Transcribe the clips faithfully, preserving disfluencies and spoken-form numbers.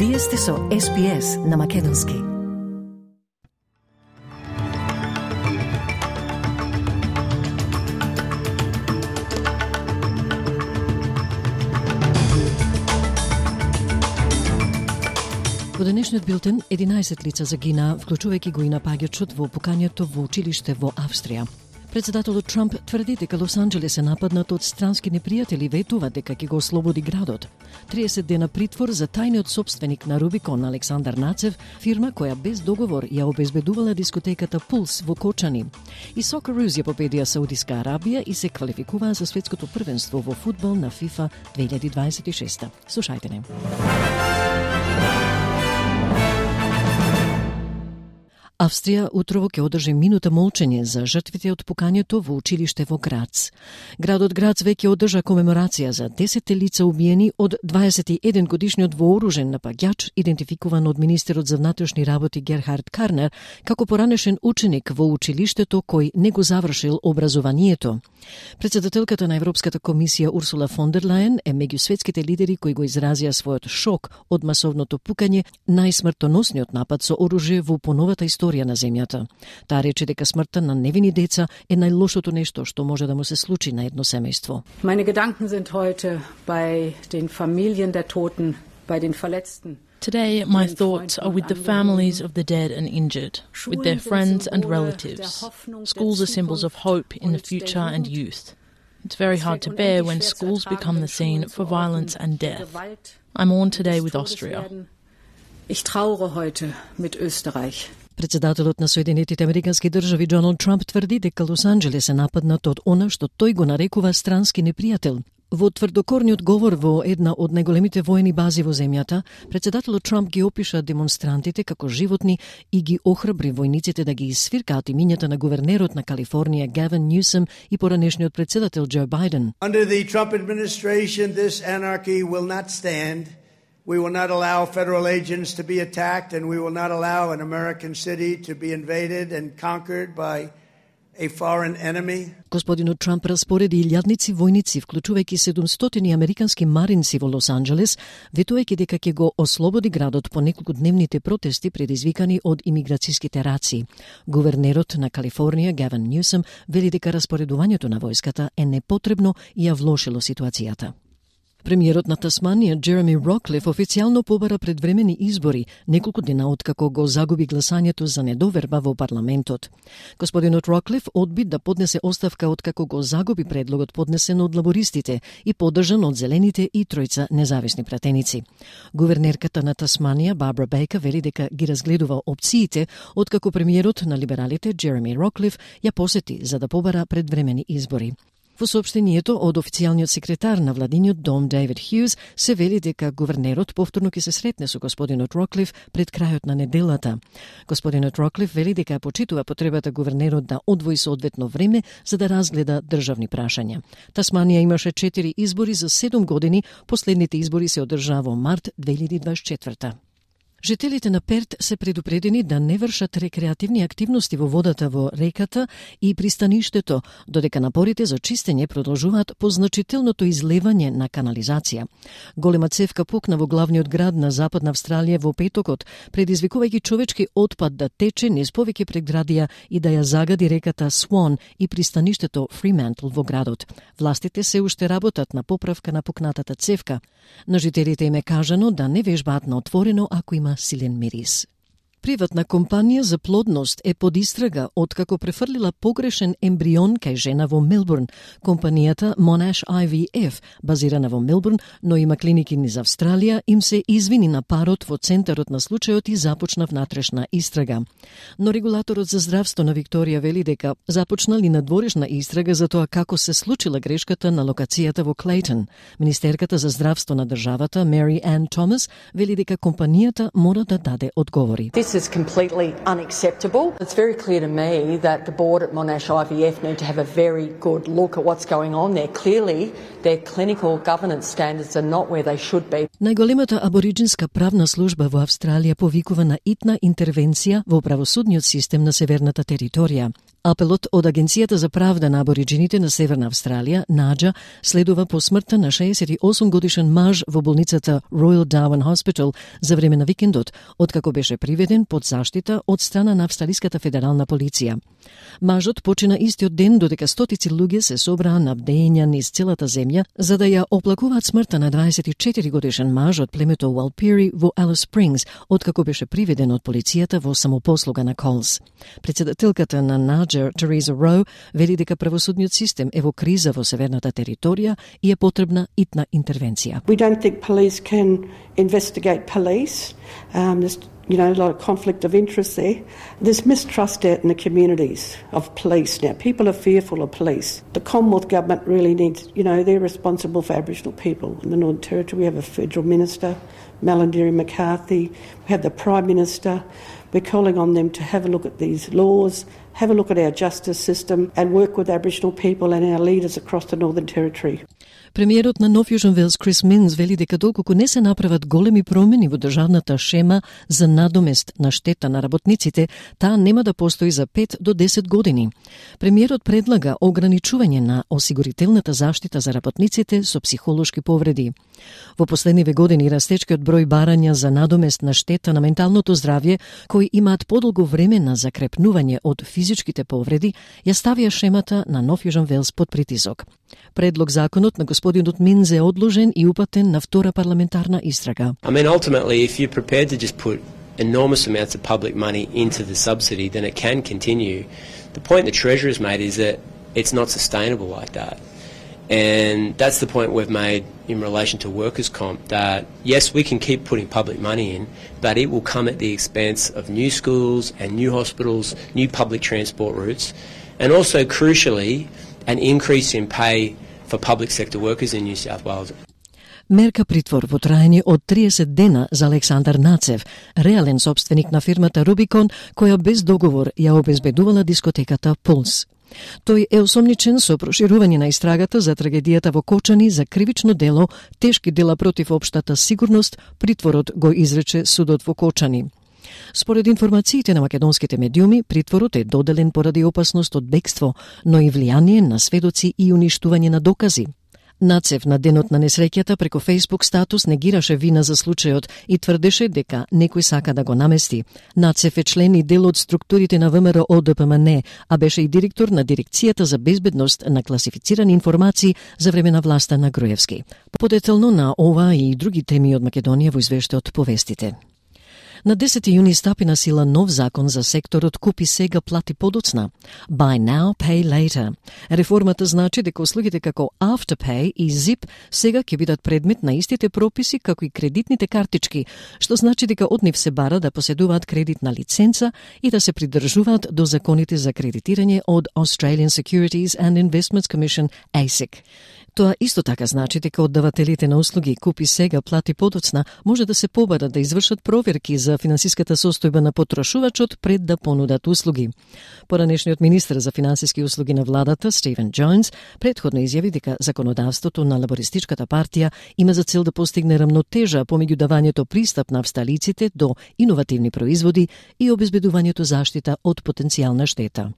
Вие сте со Ес Би Ес на Македонски. Во денешниот билтен, единаесет лица загина, вклучувајќи го и напаѓачот во пукањето во училиште во Австрија. Председателот Трамп тврди дека Лос Анџелес е нападнат од странски непријатели, ветува дека ќе го ослободи градот. триесет дена притвор за тајниот сопственик на Рубикон Александар Нацев, фирма која без договор ја обезбедувала дискотеката Пулс во Кочани. И Сокероos ја победија Саудиска Арабија и се квалификуваа за светското првенство во фудбал на FIFA две илјади дваесет и шеста. Слушајте не. Австрија утрово ќе одржи минута молчење за жртвите од пукањето во училиште во Грац. Градот Грац веќе одржа комеморација за десет лица убиени од дваесет и еден годишниот вооружен напаѓач, идентификуван од министерот за внатрешни работи Герхард Карнер како поранешен ученик во училиштето кој не го завршил образованието. Председателката на Европската комисија Урсула фон дер Лајен е меѓу светските лидери кои го изразија својот шок од масовното пукање, најсмртоносниот напад со оружје во поновата историја на земјата. Таа рече дека смртта на невини деца е најлошото нешто што може да му се случи на едно семејство. Meine Gedanken sind heute bei den Familien der Toten, bei den Verletzten. Today, my thoughts are with the families of the dead and injured, with their friends and relatives. Schools are symbols of hope in the future and youth. It's very hard to bear when schools become the scene for violence and death. I mourn today with Austria. Ich trauere heute mit Österreich. Председателот на Соединетите Американски држави Доналд Трамп тврди дека Лос Анџелес е нападнат од она што тој го нарекува странски непријател. Во тврдокорниот говор во една од најголемите воени бази во земјата, председателот Трамп ги опиша демонстрантите како животни и ги охрабри војниците да ги изсвиркаат имињата на гувернерот на Калифорнија Гавин Нјусом и поранешниот председател Џо Бајден. Under the Trump administration, this anarchy will not stand. We will not allow federal agents to be attacked, and we will not allow an American city to be invaded and conquered by a foreign enemy. Господинот Трамп распореди илјадници војници, вклучувајќи седумстотини американски маринци во Лос Анџелес, ветувајќи дека ќе го ослободи градот по неколкудневните протести предизвикани од имиграцијските раци. Гувернерот на Калифорнија Гавин Нјусом вели дека распоредувањето на војската е непотребно и ја влошило ситуацијата. Премиерот на Тасманија Джереми Роклиф официјално побара предвремени избори, неколку дена откако го загуби гласањето за недоверба во парламентот. Господинот Роклиф одби да поднесе оставка откако го загуби предлогот поднесен од лабористите и поддржан од зелените и тројца независни пратеници. Гувернерката на Тасманија Барбара Бейкер вели дека ги разгледува опциите откако премиерот на либералите Джереми Роклиф ја посети за да побара предвремени избори. Во соопштението од официјалниот секретар на владиниот дом Дейвид Хјуз се вели дека гувернерот повторно ќе се сретне со господинот Роклиф пред крајот на неделата. Господинот Роклиф вели дека почитува потребата гувернерот да одвои соодветно време за да разгледа државни прашања. Тасманија имаше четири избори за седум години, последните избори се одржаа во март две илјади дваесет и четврта. Жителите на Перт се предупредени да не вршат рекреативни активности во водата во реката и пристаништето, додека напорите за чистење продолжуваат по значителното излевање на канализација. Голема цевка пукна во главниот град на Западна Австралија во петокот, предизвикувајќи човечки отпад да тече низ повеќе преградија и да ја загади реката Свон и пристаништето Фримантл во градот. Властите се уште работат на поправка на пукнатата цевка. На жителите им е кажано да не вежбаат на отворено ако има силен мирис. Приватна компанија за плодност е под истрага откако префрлила погрешен ембрион кај жена во Мелбурн. Компанијата Monash I V F, базирана во Мелбурн, но има клиники низ Австралија, им се извини на парот во центарот на случајот и започна внатрешна истрага. Но регулаторот за здравство на Викторија вели дека започнали надворешна истрага за тоа како се случила грешката на локацијата во Клейтон. Министерката за здравство на државата Мери Ан Томас вели дека компанијата мора да даде одговори. This is completely unacceptable. It's very clear to me that the board at Monash I V F need to have a very good look at what's going on there. Clearly, their clinical governance standards are not where they should be. Најголемата абориџинска правна служба во Австралија повикува на итна интервенција во правосудниот систем на северната територија. Апелот од Агенцијата за правда на абориджините на Северна Австралија, наџа, следува по смртта на шеесет и осум годишен маж во болницата Royal Darwin Hospital за време на викендот, откако беше приведен под заштита од страна на Австралиската федерална полиција. Мажот почина истиот ден додека стотици луѓе се собраа на бдења низ целата земја за да ја оплакуваат смртта на дваесет и четири годишен маж од племето Walpiri во Alice Springs, откако беше приведен од полицијата во самопослуга на Колс. Председателката на наџа, Тереза Роу, вели дека правосудниот систем е во криза во северната територија и е потребна итна интервенција. We don't think police can investigate police. Um, there's, you know, a lot of conflict of interest there. There's mistrust out in the communities of police now. People are fearful of police. The Commonwealth government really needs, you know, they're responsible for Aboriginal people in the Northern Territory. We have a federal minister, Malarndirri McCarthy. We have the Prime Minister. We're calling on them to have a look at these laws, have a look at our justice system and work with Aboriginal people and our leaders across the Northern Territory. Премиерот на Нов Јужен Велс Крис Минс вели дека доколку не се направат големи промени во државната шема за надомест на штета на работниците, таа нема да постои за пет до десет години. Премиерот предлага ограничување на осигурителната заштита за работниците со психолошки повреди. Во последниве години растечкиот број барања за надомест на штета на менталното здравје, кои имаат подолго време на закрепнување од физичките повреди, ја ставија шемата на Нов Јужен Велс под притисок. Предлог законот на господинот Минз е одложен и упатен на втора парламентарна истрага. I mean, ultimately, if you're prepared to just put enormous amounts of public money into the subsidy, then it can continue. The point the Treasurer has made is that it's not sustainable like that. And that's the point we've made in relation to workers' comp, that yes, we can keep putting public money in, but it will come at the expense of new schools and new hospitals, new public transport routes, and also, crucially, an increase in pay for public sector workers in New South Wales. Мерка притвор во траење од триесет дена за Александар Нацев, реален собственик на фирмата Рубикон, која без договор ја обезбедувала дискотеката Пулс. Тој е осомничен со проширување на истрагата за трагедијата во Кочани за кривично дело, тешки дела против општата сигурност, притворот го изрече судот во Кочани. Според информациите на македонските медиуми, притворот е доделен поради опасност од бегство, но и влијание на сведоци и уништување на докази. Нацев на денот на несреќата преку Facebook статус негираше вина за случајот и тврдеше дека некој сака да го намести. Нацев е член и дел од структурите на ВМРО Д П М Н, а беше и директор на Дирекцијата за безбедност на класифицирани информации за време на власта на Груевски. Подетелно на ова и други теми од Македонија во извештајот повестите. На десети јуни стапи на сила нов закон за секторот купи сега, плати подоцна. Buy now, pay later. Реформата значи дека услугите како Afterpay и Zip сега ќе бидат предмет на истите прописи како и кредитните картички, што значи дека од нив се бара да поседуваат кредитна лиценца и да се придржуваат до законите за кредитирање од Australian Securities and Investments Commission A S I C. Тоа исто така значи дека оддавателите на услуги купи сега, плати подоцна може да се побарат да извршат проверки за финансиската состојба на потрошувачот пред да понудат услуги. Поранешниот министер за финансиски услуги на владата, Стивен Джонс, претходно изјави дека законодавството на Лабористичката партија има за цел да постигне рамнотежа помеѓу давањето пристап на австралиците до иновативни производи и обезбедувањето заштита од потенцијална штета.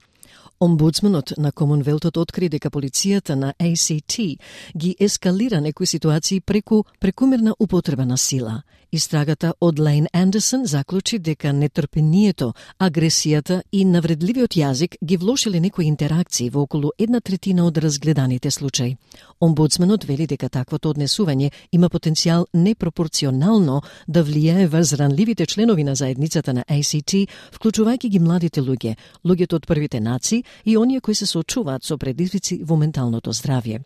Омбудсманот на Комонвелтот откри дека полицијата на А С Т ги ескалира некои ситуации преку прекумерна употреба на сила. Истрагата од Лейн Андерсон заклучи дека нетрпението, агресијата и навредливиот јазик ги влошиле некои интеракции во околу една третина од разгледаните случаи. Омбудсманот вели дека таквото однесување има потенцијал непропорционално да влијае врз ранливите членови на заедницата на А С Т, вклучувајќи ги младите луѓе, луѓето од првите нации и оние кои се соочуваат со предизвици во менталното здравје.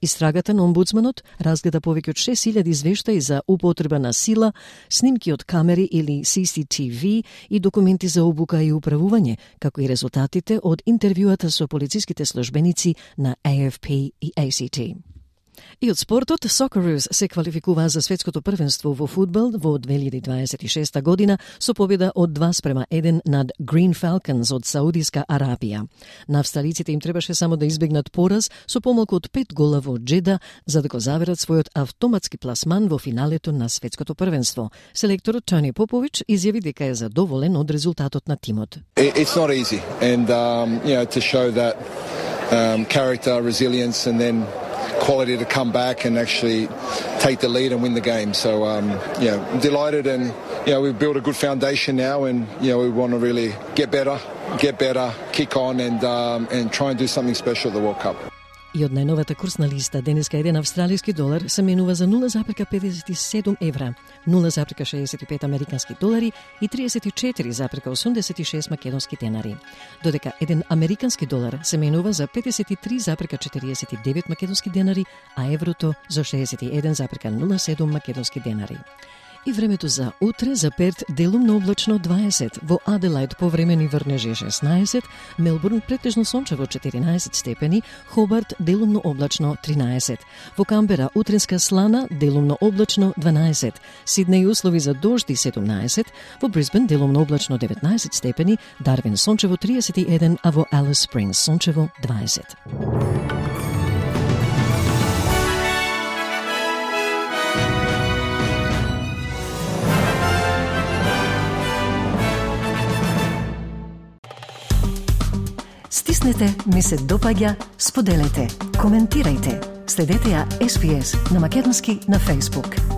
Истрагата на омбудсманот разгледа повеќе од шест илјади извештаи за употреба на сила, снимки од камери или С С Т В и документи за обука и управување, како и резултатите од интервјуата со полициските службеници на А Ф П и А С Т. И од спортот, Socceroos се квалификуваа за светското првенство во фудбал во две илјади дваесет и шеста година со победа од два спрема еден над Green Falcons од Саудиска Арабија. На австралиците им требаше само да избегнат пораз со помалку од пет гола во Джеда за да го заверат својот автоматски пласман во финалето на светското првенство. Селекторот Тони Попович изјави дека е задоволен од резултатот на тимот. It's not easy and um, you know, to show that um, character, resilience and then quality to come back and actually take the lead and win the game. So, um, you know, I'm delighted and, you know, we've built a good foundation now and, you know, we want to really get better, get better, kick on and, um, and try and do something special at the World Cup. И од најновата курсна листа, денеска еден австралиски долар се менува за нула запирка педесет и седум евра, нула запирка шеесет и пет американски долари и триесет и четири запирка осумдесет и шест македонски денари. Додека еден американски долар се менува за педесет и три запирка четириесет и девет македонски денари, а еврото за шеесет и еден запирка нула седум македонски денари. И времето за утре, за Перт делумно облачно дваесет, во Аделајд повремени врнежи шеснаесет, Мелбурн претежно сончево четиринаесет степени, Хобарт делумно облачно тринаесет, во Камбера утринска слана делумно облачно дванаесет, Сиднеј услови за дожди седумнаесет, во Брисбен делумно облачно деветнаесет степени, Дарвин сончево триесет и еден, а во Алис Спрингс сончево дваесет. Стиснете, ми се допаѓа, споделете, коментирајте. Следете ја Ес Би Ес на македонски на Facebook.